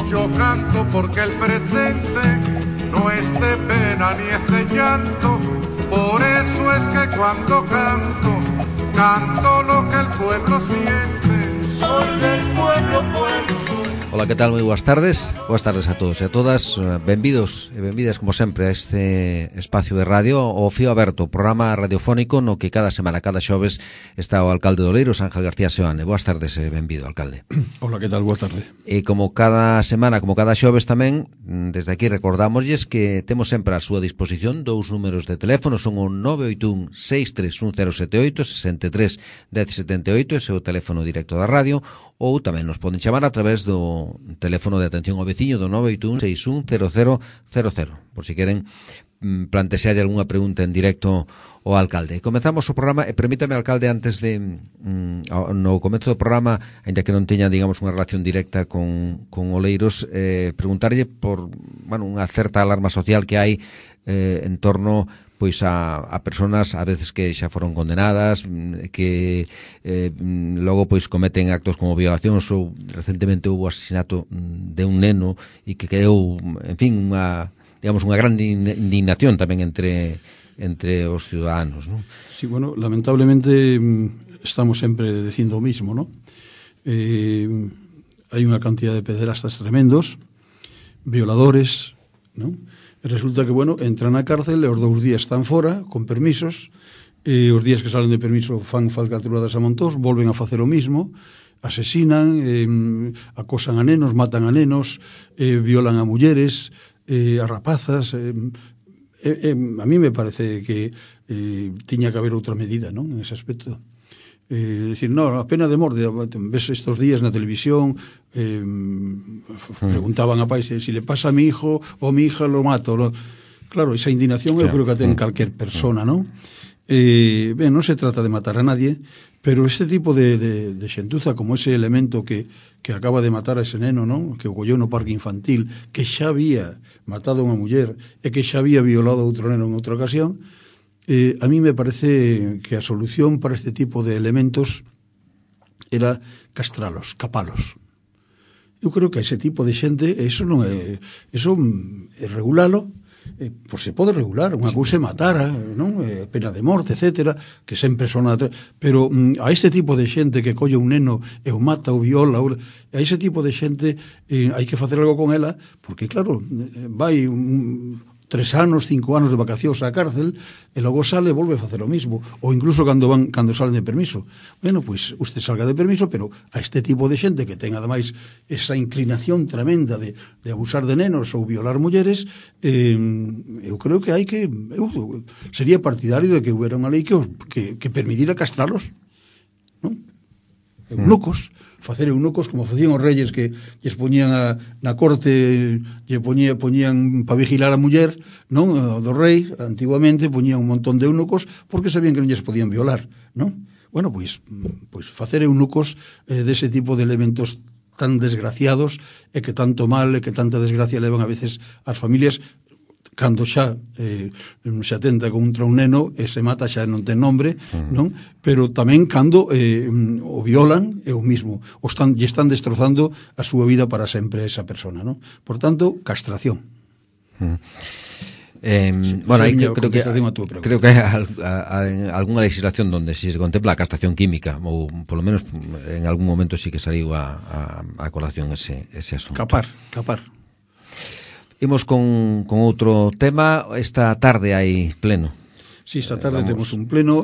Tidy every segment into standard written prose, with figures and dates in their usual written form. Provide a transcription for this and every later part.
Yo canto porque el presente no es de pena ni es de llanto. Por eso es que cuando canto, canto lo que el pueblo siente. Soy del pueblo, pueblo soy. Ola, que tal? Moi boas tardes. Boas tardes a todos e a todas. Benvidos e benvidas, como sempre, a este espacio de radio, o Fío Aberto, programa radiofónico no que cada semana, cada xoves, está o alcalde de Oleiros, Ángel García Seoane. Boas tardes e benvido, alcalde. Ola, que tal? Boa tarde. E como cada semana, como cada xoves tamén, desde aquí recordámosles que temos sempre a súa disposición dous números de teléfono, son o 981 631078, 63 1078, ese é o teléfono directo da radio, ou tamén nos poden chamar a través do teléfono de atención ao veciño do 981 610000, por si queren plantexar algunha pregunta en directo ao alcalde. Comezamos o programa, e permítame, alcalde, antes de no comezo do programa, ainda que non teña, digamos, unha relación directa con Oleiros, preguntarlle por, bueno, unha certa alarma social que hai en torno pois a personas a veces que xa foron condenadas, que logo pois cometen actos como violacións, ou recentemente houve o asesinato de un neno e que quedou, en fin, unha, digamos, unha grande indignación tamén entre os ciudadanos, ¿no? Sí, bueno, lamentablemente estamos sempre dicindo o mismo, ¿no? Hai unha cantidad de pederastas tremendos, violadores, ¿no? Resulta que, bueno, entran na cárcel e os 2 días están fora, con permisos, e os días que salen de permiso fan falcatruadas a montós, volven a facer o mismo, asesinan, acosan a nenos, matan a nenos, violan a mulleres, a rapazas. A mí me parece que tiña que haber outra medida, non, en ese aspecto. Decir, no, a pena de morte, ves estos días na televisión, preguntaban a pais si le pasa a mi hijo o a mi hija lo mato, claro, esa indignación eu creo que ten calquer persona, non? Ben, non se trata de matar a nadie, pero este tipo de xentuza, como ese elemento que acaba de matar a ese neno, non? Que o colleu no parque infantil, que xa había matado a unha muller e que xa había violado a outro neno en outra ocasión. A mí me parece que a solución para este tipo de elementos era castralos, capalos. Eu creo que a ese tipo de xente, eso non é, eso é regulalo, pois se pode regular, unha cousa é matar, non? Pena de morte, etcétera, que sempre son pero a este tipo de xente que colle un neno e o mata, o viola, a ese tipo de xente hai que facer algo con ela, porque claro, vai 3 anos, 5 anos de vacacións á cárcel e logo sale e volve a facer o mismo, ou incluso cando salen de permiso. Bueno, pois usted salga de permiso, pero a este tipo de xente que ten ademais esa inclinación tremenda de abusar de nenos ou violar mulleres, eu creo que hai que, eu sería partidario de que houbera unha lei que permitira castralos, non? Eunucos, facer eunucos como facían os reyes, que lles poñían na corte, lle poñían para vigilar a muller, non, do rei, antiguamente poñían un montón de eunucos porque sabían que non lles podían violar, non? Bueno, pois facer eunucos dese tipo de elementos tan desgraciados e que tanto mal e que tanta desgracia levan a veces as familias, cando xa se atenta contra un neno e se mata, xa non ten nombre, non? Pero tamén cando o violan é o mismo, lle están destrozando a súa vida para sempre a esa persona, non? Por tanto, castración. Bueno, aí creo que hai algunha legislación donde si se contempla a castración química, ou polo menos en algún momento sí que saliu a colación ese asunto. Capar. Imos con outro tema. Esta tarde hai pleno. Si, esta tarde temos un pleno.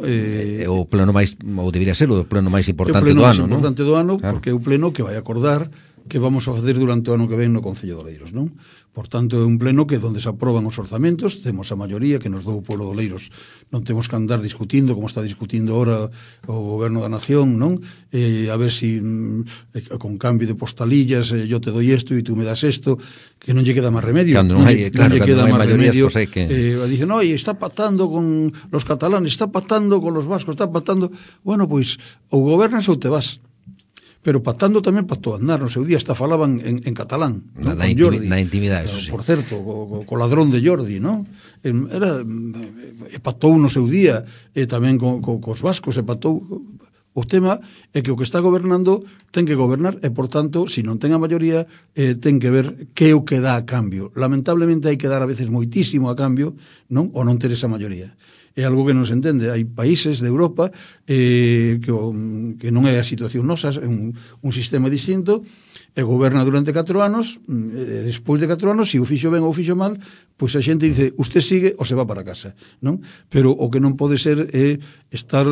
O pleno máis, ou debería ser o pleno máis importante do ano, non? O pleno máis importante do ano, porque é o pleno que vai acordar que vamos a facer durante o ano que ven no Concello de Oleiros, non? Por tanto, é un pleno que donde se aproban os orzamentos, temos a maioría que nos dou o pueblo de Oleiros, non temos que andar discutindo como está discutindo ahora o goberno da nación, non? A ver si con cambio de postalillas yo te doy esto e tú me das esto, que non lle queda máis remedio. Cando non hai, claro, cando non hai maiorías, pois hai que... Dicen, no, está pactando con los catalanes, está pactando con los vascos, está pactando... Bueno, pois, ou gobernas ou te vas. pero pactando tamén pactou andar. No seu día hasta falaban en catalán, ¿no? Con Jordi. Na intimidade, eso sí. Por certo, co ladrón de Jordi, ¿no? Pactou no seu día, tamén cos vascos, pactou. O tema é que o que está gobernando ten que gobernar e, por tanto, se non ten a maioría, ten que ver que é o que dá a cambio. Lamentablemente hai que dar a veces moitísimo a cambio, non? Ou non ter esa maioría. É algo que non se entende. Hai países de Europa que non é a situación nosa, é un sistema distinto, e goberna durante 4 anos, despois de 4 anos, se o fixo ben ou o fixo mal, pois a xente dice, usted sigue ou se va para casa, non? Pero o que non pode ser é estar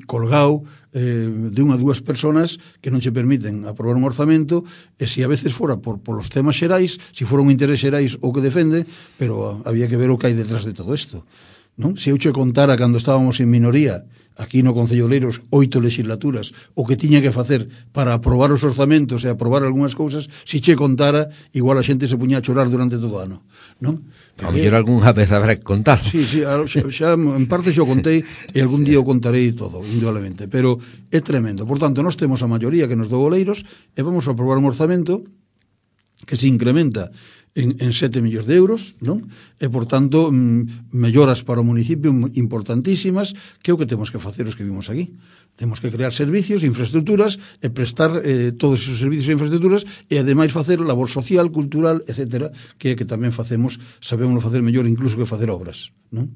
colgado de unha ou dúas personas que non che permiten aprobar un orzamento, e se a veces fora por os temas xerais, se fora un interés xerais o que defende, pero había que ver o que hai detrás de todo isto, non? Se eu che contara cando estábamos en minoría aquí no Concello de Oleiros 8 legislaturas o que tiña que facer para aprobar os orzamentos e aprobar algunhas cousas, se che contara, igual a xente se puña a chorar durante todo o ano, non? A mellor algunha vez habrá que contar. Sí, xa en parte xo contei e algún día o contarei todo, indudablemente, pero é tremendo. Por tanto, nós temos a maioría que nos dou Oleiros e vamos a aprobar un orzamento que se incrementa en 7 millóns de euros, non? E, por tanto, melloras para o municipio importantísimas, que é o que temos que facer os que vimos aquí. Temos que crear servicios, infraestructuras, e prestar todos esos servicios e infraestructuras, e ademais facer labor social, cultural, etcétera, que é que tamén facemos, sabemos facer mellor incluso que facer obras, non?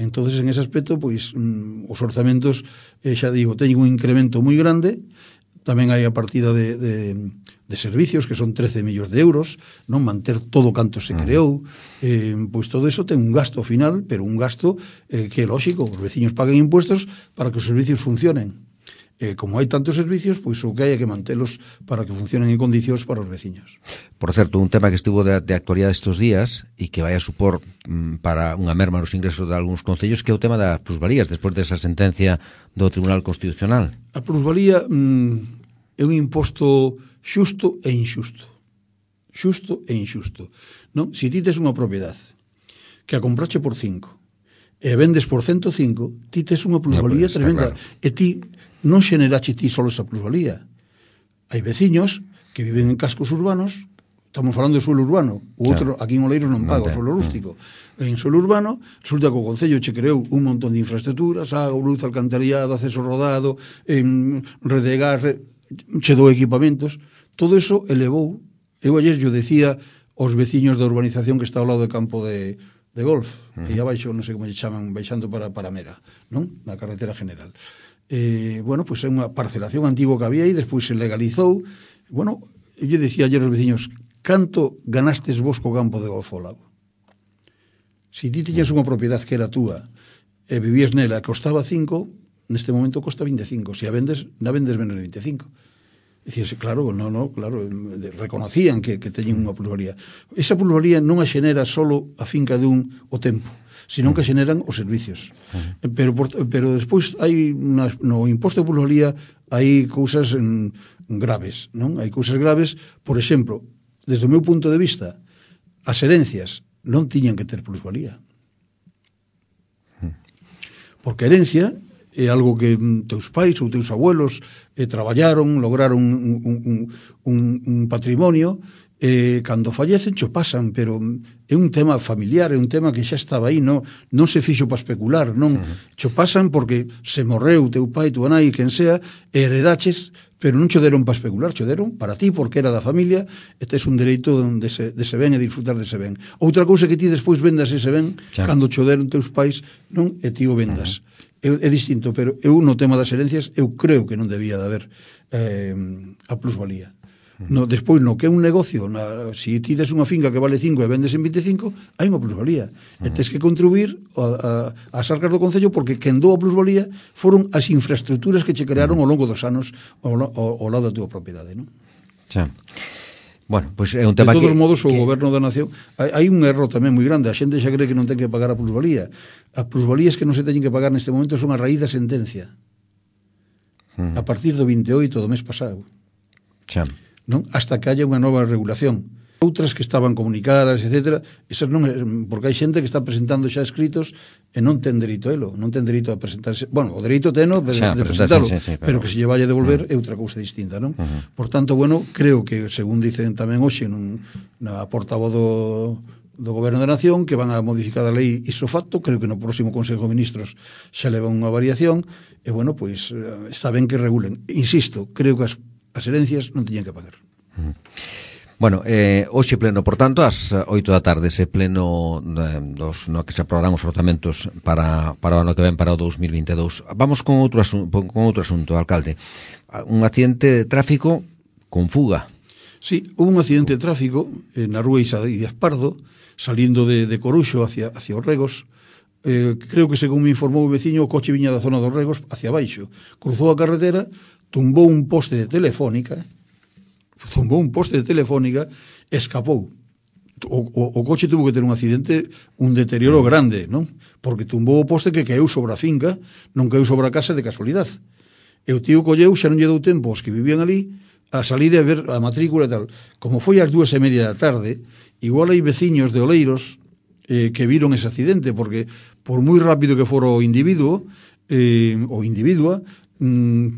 Entonces, en ese aspecto, pois, os orzamentos, xa digo, teñen un incremento moi grande. Tamén hai a partida de servicios, que son 13 millóns de euros, non manter todo canto se creou, pois todo eso ten un gasto final, pero un gasto que é lógico, os veciños paguen impuestos para que os servicios funcionen. Como hai tantos servicios, pois o que hai é que mantelos para que funcionen en condicións para os veciños. Por certo, un tema que estivo de actualidade estes días e que vai a supor para unha merma nos ingresos de algúns concellos, que é o tema das plusvalías, despois desa sentencia do Tribunal Constitucional. A plusvalía é un imposto xusto e inxusto. Xusto e inxusto. Non? Se ti tes unha propiedade que a comprache por 5 e vendes por 105, ti tes unha plusvalía tremenda. Claro. E ti non xenerache ti solo esa plusvalía. Hai veciños que viven en cascos urbanos, estamos falando de suelo urbano, o outro, aquí en Oleiros non paga o suelo rústico. En suelo urbano, resulta que o Concello che creou un montón de infraestructuras, agua, luz, alcantarillado, acceso rodado, redegar, che dou equipamentos. Todo eso elevou. Eu ayer yo decía aos veciños da urbanización que está ao lado do campo de golf, e abaixo, non sei como lle chaman, baixando para Mera, non? Na carretera general. Bueno, pois é unha parcelación antigo que había e despois se legalizou. Bueno, eu lle decía ayer aos veciños, canto ganastes vos co campo de golf ao lado? Se ti tiñas unha propiedade que era túa e vivías nela e costaba 5, neste momento costa 25. Se a vendes, na vendes menos de 25. Dicíase, claro, claro, reconocían que teñen unha plusvalía. Esa plusvalía non a xenera solo a finca de o tempo, senón que xeneran os servicios. Pero despois hai no imposto de plusvalía hai cousas graves, non? Hai cousas graves, por exemplo, desde o meu punto de vista, as herencias non tiñan que ter plusvalía. Porque a herencia é algo que teus pais ou teus abuelos traballaron, lograron un patrimonio, cando fallecen xo pasan, pero é un tema familiar, é un tema que xa estaba aí, non se fixo para especular, non xo pasan porque se morreu teu pai, tua nai, quen sea, e heredaches, pero non xo deron para especular, xo deron para ti, porque era da familia, e tes un dereito dese ben e disfrutar dese ben. Outra cousa que ti despois vendas ese ben, cando xo deron teus pais, non, e ti o vendas. É distinto, pero eu no tema das herencias eu creo que non debía de haber a plusvalía. Despois, no que é un negocio, se ti des unha finca que vale 5 e vendes en 25, hai unha plusvalía. E tens que contribuir ás arcas do Concello, porque quen dou a plusvalía foron as infraestructuras que che crearon ao longo dos anos ao lado da tua propiedade, non? Xa. Bueno, pois é un tema que... De todos modos, o goberno da nación... Hai un erro tamén moi grande. A xente xa cree que non ten que pagar a plusvalía. As plusvalías que non se teñen que pagar neste momento son a raíz da sentencia. A partir do 28 do mes pasado. Xa. Non? Hasta que haya unha nova regulación. outras que estaban comunicadas, etc. Esas non, porque hai xente que está presentando xa escritos e non ten dereito a elo, non ten dereito a presentarse. Bueno, o dereito teno de presentalo, pero que se lle vaya a devolver é outra cousa distinta, non? Por tanto, bueno, creo que, según dicen tamén hoxe na portavoz do Goberno da Nación, que van a modificar a lei iso facto, creo que no próximo Consejo de Ministros xa leva unha variación, e, bueno, pois, está ben que regulen. Insisto, creo que as herencias non teñen que pagar. Bueno, hoxe pleno, por tanto, ás 8 da tarde, ese pleno no que se aprobarán os orzamentos para o ano que ven, para o 2022. Vamos con outro asunto, alcalde. Un accidente de tráfico con fuga. Sí, hubo un accidente de tráfico na rúa Isa Díaz Pardo, salindo de Coruxo hacia os Regos. Creo que, según me informou o veciño, o coche viña da zona dos Regos hacia baixo. Cruzou a carretera, tumbou un poste de telefónica, escapou. O coche tuvo que ter un accidente, un deterioro grande, non? Porque tumbou o poste que caeu sobre a finca, non caeu sobre a casa de casualidade. E o tío colleu, xa non lle dou tempo aos que vivían ali a salir a ver a matrícula e tal. Como foi ás 2:30 da tarde, igual hai veciños de Oleiros que viron ese accidente, porque por moi rápido que fora o individuo ou individua, 5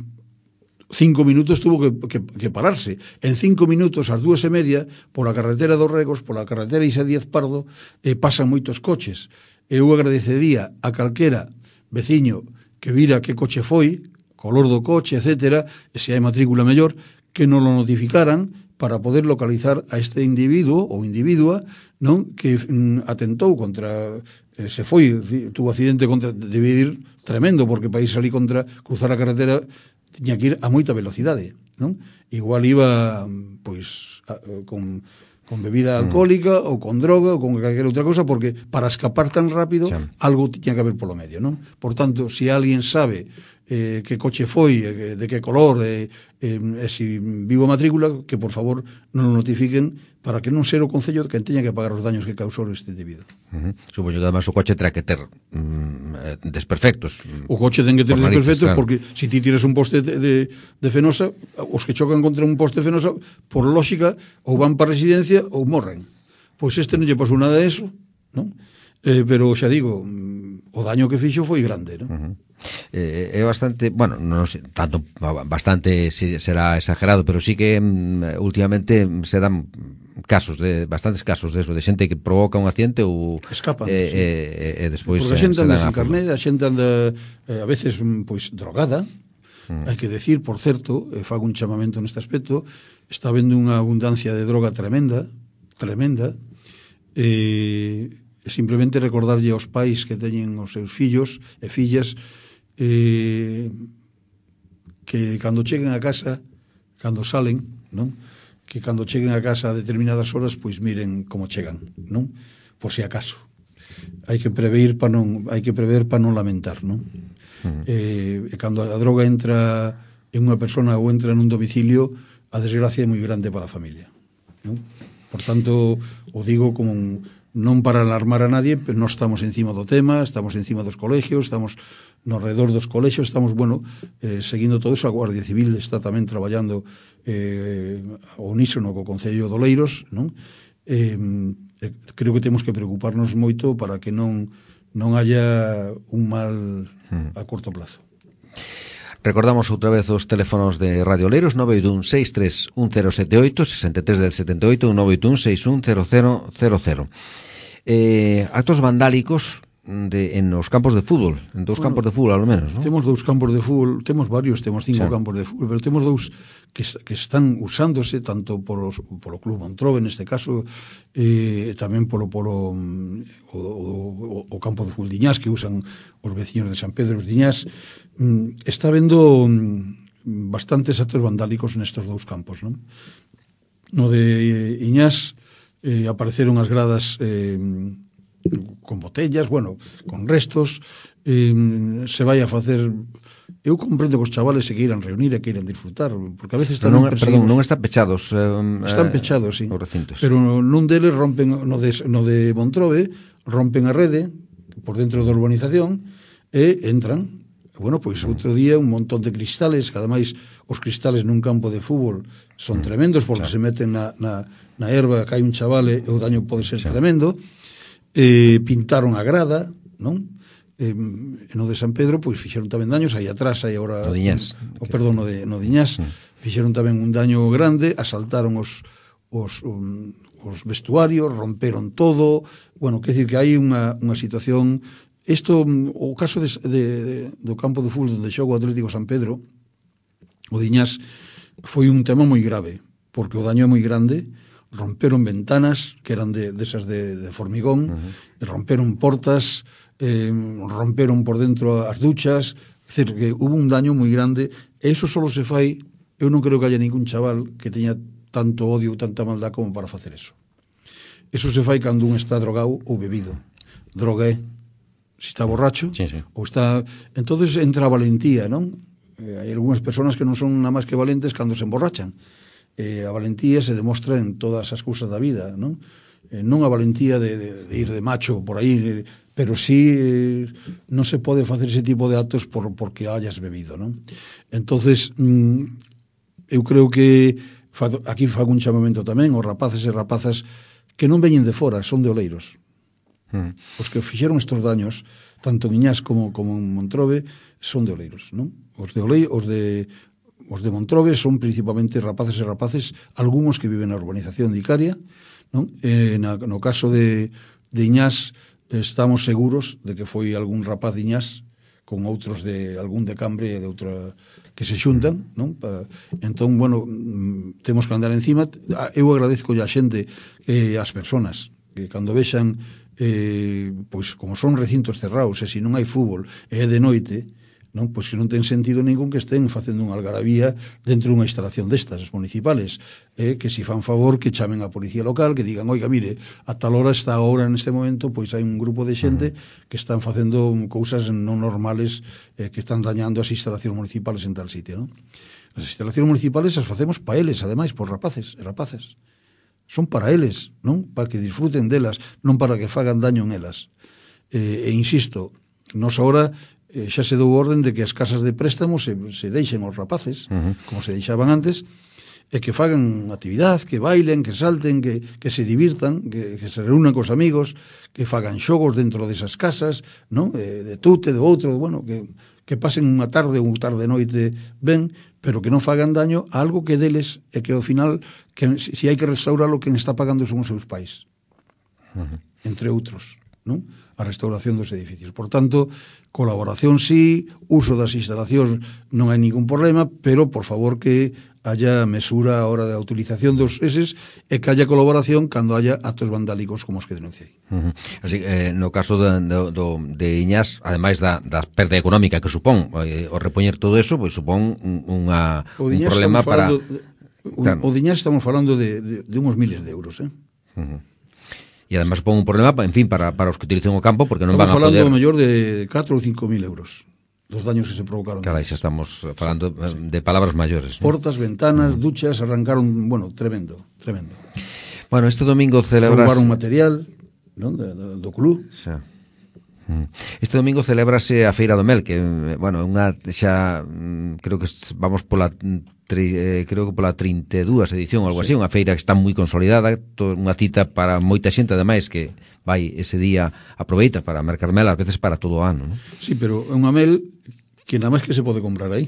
minutos tuvo que pararse. En 5 minutos, ás 2:30, pola carretera dos Regos, pola carretera Isa Díaz Pardo, pasan moitos coches. Eu agradecería a calquera veciño que vira que coche foi, color do coche, etc., e se hai matrícula mellor, que non lo notificaran para poder localizar a este individuo ou individua, non, que atentou contra, se foi, tuvo accidente contra, debe ir tremendo, porque para ir salir contra, cruzar a carretera, tiña que ir a moita velocidade, non? Igual iba, pois, con bebida alcohólica ou con droga ou con calquera outra cosa, porque para escapar tan rápido algo tiña que haber polo medio, non? Por tanto, se alguén sabe que coche foi, de que color, e se vivo a matrícula, que por favor non o notifiquen, para que non ser o Concello que teña que pagar os daños que causou este individuo. Supoño que además o coche terá que ter desperfectos. O coche ten que ter desperfectos, claro. Porque se ti tiras un poste de fenosa, os que chocan contra un poste de fenosa, por lógica, ou van para a residencia ou morren. Pois este non lle pasou nada de eso, non? Pero xa digo, o daño que fixo foi grande, non? É bastante, bueno, non sei, tanto bastante será exagerado, pero sí que últimamente se dan bastantes casos de eso, de xente que provoca un accidente ou escapan, e despois porque a xente anda sin carné, a xente anda a veces pois drogada. Hai que decir, por certo, fago un chamamento neste aspecto, está habendo unha abundancia de droga tremenda, e simplemente recordarlle aos pais que teñen os seus fillos e fillas que cando cheguen a casa, cando salen, non? Que cando cheguen a casa a determinadas horas, pois miren como chegan, non? Por si acaso. Hai que prever para non lamentar, non? E cando a droga entra en unha persona ou entra nun domicilio, a desgracia é moi grande para a familia, non? Por tanto, o digo como non para alarmar a nadie, pero nós estamos encima do tema, estamos encima dos colegios, estamos no redor dos colegios, estamos, bueno, seguindo todo eso. A Guardia Civil está tamén traballando ao unísono co Concello de Oleiros, non? Creo que temos que preocuparnos moito para que non haya un mal a corto plazo. Recordamos outra vez os teléfonos de Radio Oleiros, 981-63-1078, 63 del 78, 981-610000. Actos vandálicos en os campos de fútbol, en dous campos de fútbol, ao menos, non? Temos 2 campos de fútbol, temos varios, temos 5 campos de fútbol, pero temos 2 que están usándose tanto polo Club Montrobe, neste caso, tamén polo o campo de fútbol de Iñás, que usan os veciños de San Pedro de Iñás. Está habendo bastantes actos vandálicos nestes 2 campos, non? No de Iñás apareceron as gradas con botellas, bueno, con restos, se vai a facer. Eu comprendo que os chavales se queiran reunir e queiran disfrutar, porque a veces non están pechados. Están pechados, sí. Os recintos. Pero nun deles rompen, no de Montrobe, rompen a rede por dentro da urbanización e entran. Bueno, pois outro día un montón de cristales, que ademais os cristales nun campo de fútbol son tremendos porque se meten na na erva cae un chaval e o daño pode ser tremendo. Pintaron a grada, non? No de San Pedro, pois fixeron tamén daños, aí atrás, aí agora... No Diñás. Perdón, no Diñás, fixeron tamén un daño grande, asaltaron os vestuarios, romperon todo, bueno, quer dicir que hai unha situación... Isto, o caso do campo de fútbol onde xoga o Atlético San Pedro, o Diñás, foi un tema moi grave, porque o daño é moi grande, romperon ventanas que eran desas de formigón, e romperon portas, romperon por dentro as duchas, é dicir, que hubo un daño moi grande, e iso só se fai, eu non creo que haya ningún chaval que teña tanto odio ou tanta maldad como para facer eso. Eso se fai cando un está drogado ou bebido. Droga é, se está borracho, ou está... Entonces entra a valentía, non? Hai algunhas persoas que non son nada máis que valentes cando se emborrachan. A valentía se demostra en todas as cousas da vida, non? Non a valentía de ir de macho por aí, pero sí non se pode facer ese tipo de actos porque hayas bebido, non? Entonces, eu creo que aquí fago un chamamento tamén aos rapaces e rapazas que non veñen de fora, son de Oleiros. Os que fixeron estos daños, tanto en Iñás como en Montrobe, son de Oleiros, non? Os de Montrobe son principalmente rapaces e rapaces, algúns que viven na urbanización de Icaria, non? No caso de Iñás, estamos seguros de que foi algún rapaz de Iñás con outros de algún de Cambre e de outra que se xuntan, non? Entón, bueno, temos que andar encima. Eu agradezco a xente, as persoas, que cando vexan, pois como son recintos cerrados, e se non hai fútbol e é de noite, non? Pois que non ten sentido ningún que estén facendo unha algarabía dentro dunha instalación destas municipales, que se fan favor que chamen a policía local, que digan, oiga, mire, a tal hora está agora neste momento, pois hai un grupo de xente que están facendo cousas non normales, que están dañando as instalacións municipales en tal sitio, non? As instalacións municipales as facemos para eles, ademais, por rapaces e rapazas. Son para eles, non? Para que disfruten delas, non para que fagan daño en elas. E insisto, nos agora xa se dou orden de que as casas de préstamo se deixen aos rapaces, como se deixaban antes, e que fagan actividade, que bailen, que salten, que se divirtan, que se reúnan cos amigos, que fagan xogos dentro desas casas, non? De tute, de outro, bueno, que pasen unha tarde ou tarde noite ben, pero que non fagan daño a algo que deles e que ao final, que se hai que restaurarlo, quen está pagando son os seus pais, entre outros, non? A restauración dos edificios. Por tanto, colaboración sí, uso das instalacións non hai ningún problema, pero por favor que haya mesura a hora da utilización dos eses e que haya colaboración cando haya actos vandálicos como os que denunciei. Así, no caso de Iñás, ademais da perda económica que supón o repoñer todo eso, pois supón un problema para... O Diñás estamos falando de uns miles de euros, E además supón un problema, en fin, para os que utilicen o campo, porque non van a poder... Estamos falando mellor de 4 ou 5 mil euros dos daños que se provocaron. Carai, xa estamos falando de palabras maiores. Portas, ventanas, duchas, arrancaron, bueno, tremendo. Bueno, este domingo celebras... Roubaron material, non, do club. Xa. Este domingo celébrase a Feira do Mel, que, bueno, unha xa, creo que vamos pola 32 edición ou algo así, unha feira que está moi consolidada, unha cita para moita xente, ademais, que vai ese día, aproveita para mercar mel, ás veces para todo o ano, non? Sí, pero é unha mel que nada máis que se pode comprar aí.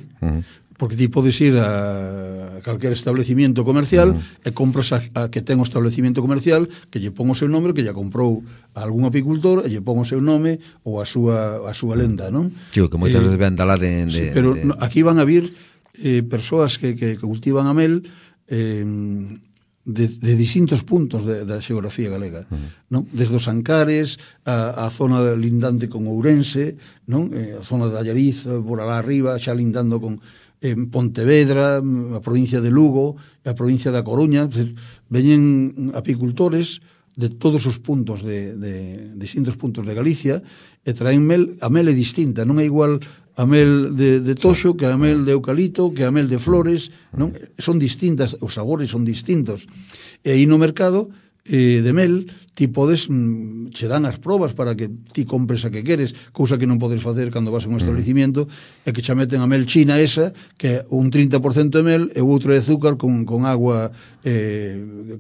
Porque ti podes ir a calquer establecimiento comercial e compras a que ten o establecimiento comercial, que lle pon o seu nome, que lle comprou a algún apicultor, e lle pon o seu nome ou a súa lenda, non? Tío, que moitas veces ven dalá de... Sí, pero aquí van a vir persoas que cultivan a mel de distintos puntos da xeografía galega, non? Desde os Ancares, a zona lindante con Ourense, non? A zona de Allariz, por alá arriba, xa lindando con Pontevedra, a provincia de Lugo, a provincia da Coruña. Veñen apicultores de todos os puntos de distintos puntos de Galicia e traen mel. A mel é distinta, non é igual a mel de toxo que a mel de eucalipto, que a mel de flores, non? Son distintas, os sabores son distintos. E aí no mercado de mel, ti podes che dan as probas para que ti compres a que queres, cousa que non podes facer cando vas a un establecimiento, e que xa meten a mel china esa, que é un 30% de mel e o outro de azúcar con agua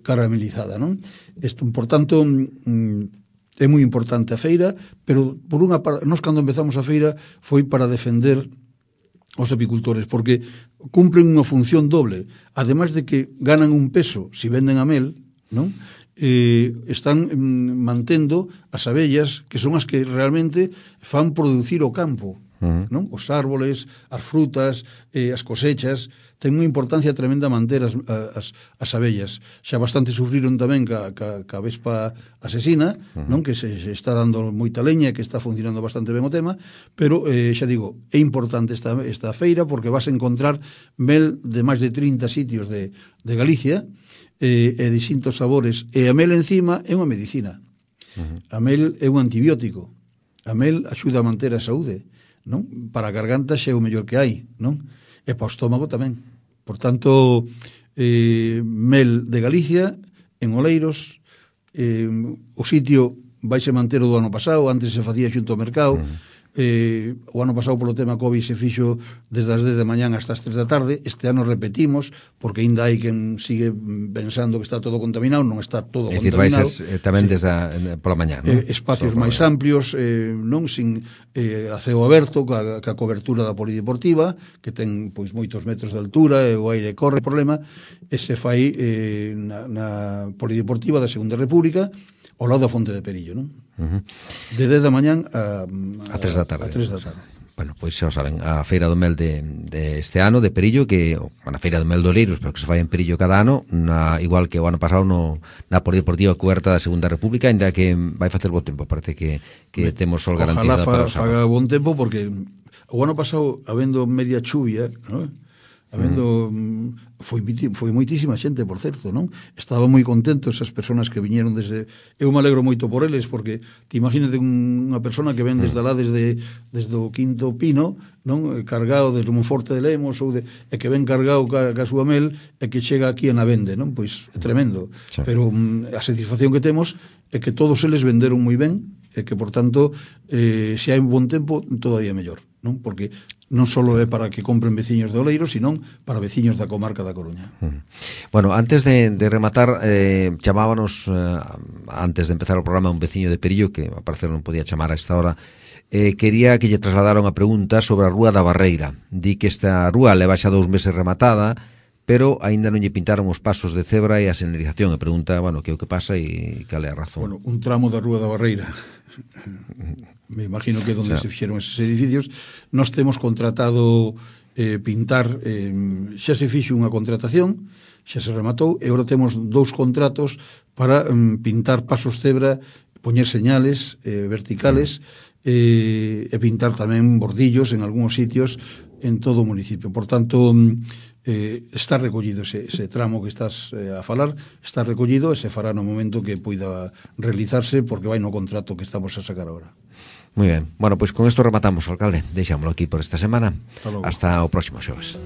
caramelizada, non? Isto, por tanto, é moi importante a feira, pero por unha parte, nós cando empezamos a feira foi para defender os apicultores, porque cumplen unha función doble, ademais de que ganan un peso se venden a mel, non? Están mantendo as abellas, que son as que realmente fan producir o campo, non? Os árboles, as frutas, as cosechas, ten unha importancia tremenda manter as abellas. Xa bastante sufriron tamén ca vespa asesina, non? Que se está dando moita leña, que está funcionando bastante ben o tema, pero xa digo, é importante esta feira porque vas a encontrar mel de máis de 30 sitios de Galicia, e distintos sabores, e a mel encima é unha medicina. A mel é un antibiótico, a mel axuda a manter a saúde, non? Para a garganta xa é o mellor que hai, non? E para o estómago tamén. Por tanto, mel de Galicia en Oleiros, o sitio vaise manter o do ano pasado, antes se facía xunto ao mercado. O ano pasado polo tema COVID se fixo desde as 10 da mañán hasta as 3 da tarde. Este ano repetimos, porque ainda hai quen sigue pensando que está todo contaminado. Non está todo contaminado. É dicir, tamén desde pola mañán, non? Espacios máis amplios, non sin a ceo aberto, ca cobertura da polideportiva, que ten pois moitos metros de altura, e o aire corre. O problema é se fai na polideportiva da Segunda República, ao lado da Fonte de Perillo, non? De 10 da mañán a 3 da tarde. Bueno, pois xa o saben, a Feira do Mel de este ano, de Perillo, que a Feira do Mel de Oleiros, pero que se fai en Perillo cada ano, igual que o ano pasado na polideportiva coberta da Segunda República, ainda que vai facer bo tempo, parece que temos sol garantizado para os sábados. Ojalá faga bon tempo, porque o ano pasado, habendo media chuvia, non? Foi moitísima xente, por certo, non? Estaba moi contentos as persoas que viñeron desde... Eu me alegro moito por eles, porque te imagínate unha persona que ven desde lá, desde o Quinto Pino, non? Cargado desde Monforte de Lemos, e que ven cargado ca súa mel, e que chega aquí e na vende, non? Pois é tremendo. Sí. Pero a satisfacción que temos é que todos eles venderon moi ben, e que, por tanto, se hai un bon tempo, todavía mellor, non? Porque non só é para que compren veciños de Oleiros, sino para veciños da comarca da Coruña. Bueno, antes de rematar, chamábanos, antes de empezar o programa, un veciño de Perillo, que a parecer non podía chamar a esta hora, quería que lle trasladaron a pregunta sobre a Rúa da Barreira. Di que esta rúa leva xa 2 meses rematada, pero aínda non lle pintaron os pasos de cebra e a señalización. E pregunta, bueno, que é o que pasa e cal é a razón. Bueno, un tramo da Rúa da Barreira, me imagino que é onde se fixeron esos edificios. Nós temos contratado pintar, xa se fixo unha contratación, xa se rematou, e agora temos 2 contratos para pintar pasos cebra, poñer señales verticales, e pintar tamén bordillos en algúns sitios en todo o municipio. Por tanto, está recollido ese tramo que estás a falar, está recollido e se fará no momento que poida realizarse, porque vai no contrato que estamos a sacar agora. Moi ben. Bueno, pois con isto rematamos, alcalde. Deixámoslo aquí por esta semana. Hasta o próximo xoves.